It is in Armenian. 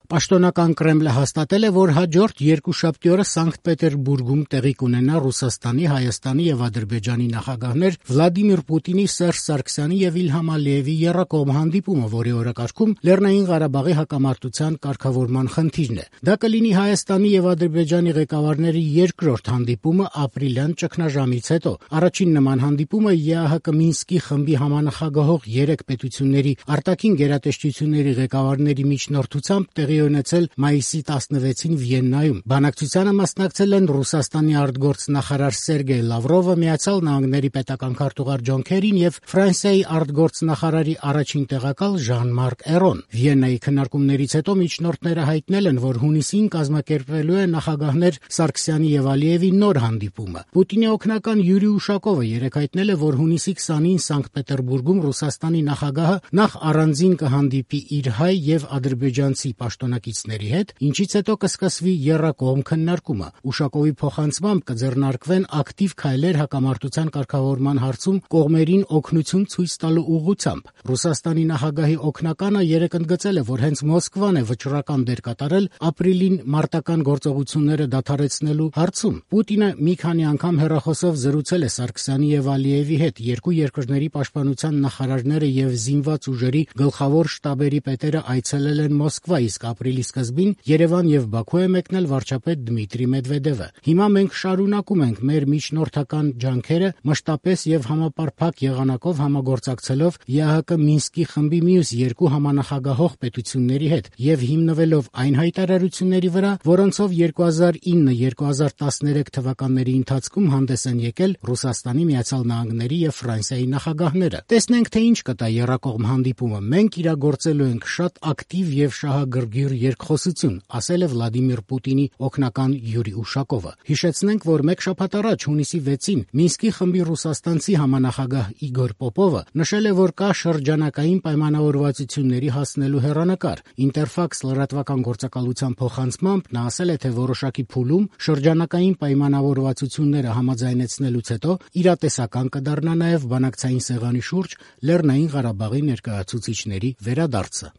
Պաշտոնական Կրեմլը հաստատել է, որ հաջորդ երկուշաբթի օրը Սանկտ Պետերբուրգում տեղի կունենա Ռուսաստանի, Հայաստանի եւ Ադրբեջանի նախագահներ Վլադիմիր Պուտինի, Սերժ Սարգսյանի եւ Իլհամ Ալիևի եռակողմ հանդիպումը, որի օրակարգում Լեռնային Ղարաբաղի հակամարտության կարգավորման խնդիրն է։ Դա կլինի Հայաստանի եւ Ադրբեջանի ղեկավարների երկրորդ հանդիպումը ապրիլյան ճգնաժամից հետո։ Առաջին նման հանդիպումը ԵԱՀԿ Մինսկի խմբի համանախագահող 3 պետությունների արտաքին գերատեսչությունների ղեկավարների միջնորդությամբ տեղի ունեցել մայիսի 16-ին Վիեննայում։ Բանակցությանը մասնակցել են Ռուսաստանի արտգործնախարար Սերգեյ Լավրովը, Միացյալ Նահանգների պետական քարտուղար Ջոն Քերին եւ Ֆրանսիայի արտգործնախարարի առաջին տեղակալ Ժան-Մարկ Էրոն։ Վիեննայի քննարկումներից հետո միջնորդները հայտնել են, որ հունիսին կազմակերպվելու է նախագահներ Սարգսյանի եւ Ալիևի նոր հանդիպումը։ Պուտինի օգնական Յուրի Ուշակովը երեկ հայտնել է, որ հունիսի 20-ին Սանկտ Պետերբուրգում Ռուսաստանի նախագահը նախ առանձին կհանդիպի իր հայ եւ ադրբեջանցի պաշտոնակիցների հետ, ինչից հետո կսկսվի եռակողմ քննարկումը։ Ուշակովի փոխանցմամբ կձեռնարկվեն ակտիվ քայլեր հակամարտության կարգավորման հարցում կողմերին օգնություն ցույց տալու ուղղությամբ։ Ռուսաստանի նախագահի օգնականը երեկ ընդգծել է, որ հենց Մոսկվան է վճռական դեր կատարել ապրիլին մարտական գործողությունները դադարեցնելու հարցում։ Պուտինը մի քանի անգամ հեռախոսով զրուցել է Սարգսյանի եւ Ալիևի հետ, երկու երկրների պաշտպանության նախարարները եւ զինված ուժերի գլխավոր շտաբերի պետերը այցելել են Մոսկվա, իսկ ապրիլի սկզբին Երևան եւ Բաքու է մեկնել վարչապետ Դմիտրի Մեդվեդևը։ Հիմա մենք շարունակում ենք մեր միջնորդական ջանքերը մշտապես եւ համապարփակ եղանակով համագործակցելով ԵԱՀԿ Մինսկի խմբի մյուս երկու համանախագահող պետությունների հետ եւ հիմնվելով այն հայտարարությունների վրա, որոնցով 2009-2013 թվականների ընթացքում հանդես են եկել Ռուսաստանի, Միացյալ Նահանգների եւ Ֆրանսիայի նախագահները։ Տեսնենք, թե ինչ կտա եռակողմ հանդիպումը։ Մենք իրագործելու ենք շատ ակտիվ եւ շահագրգիռ երկխոսություն, ասել է Վլադիմիր Պուտինի օգնական Յուրի Ուշակովը։ Հիշեցնենք, որ մեկ շաբաթ առաջ հունիսի 6-ին Մինսկի խմբի ռուսաստանցի համանախագահ Իգոր Պոպովը նշել է, որ կա շրջանակային պայմանավորվածությունների հասնելու հեռանկար։ Ինտերֆաքս լրատվական գործակալության փոխանցմամբ նա ասել է, թե որոշակի փուլում շրջանակային պայմանավորվածությունները համաձայնեցնելուց հետո իրատեսական կդառնա նաև բանակցային սեղանի շուրջ Լեռնային Ղարաբաղի ներկայացուցիչների վերադարձը։